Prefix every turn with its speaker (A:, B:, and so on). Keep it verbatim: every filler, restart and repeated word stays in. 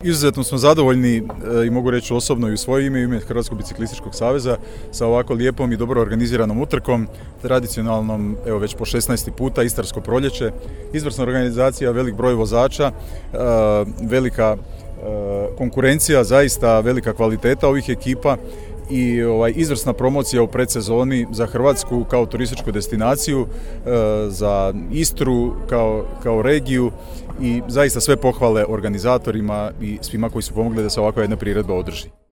A: Izuzetno smo zadovoljni e, i mogu reći osobno i u svoje ime i ime Hrvatskog biciklističkog saveza sa ovako lijepom i dobro organiziranom utrkom, tradicionalnom, evo već po šesnaesti puta, Istarsko proljeće, izvrsna organizacija, velik broj vozača, e, velika e, konkurencija, zaista velika kvaliteta ovih ekipa i ovaj, izvrsna promocija u predsezoni za Hrvatsku kao turističku destinaciju, e, za Istru kao, kao regiju i zaista sve pohvale organizatorima i svima koji su pomogli da se ovakva jedna priredba održi.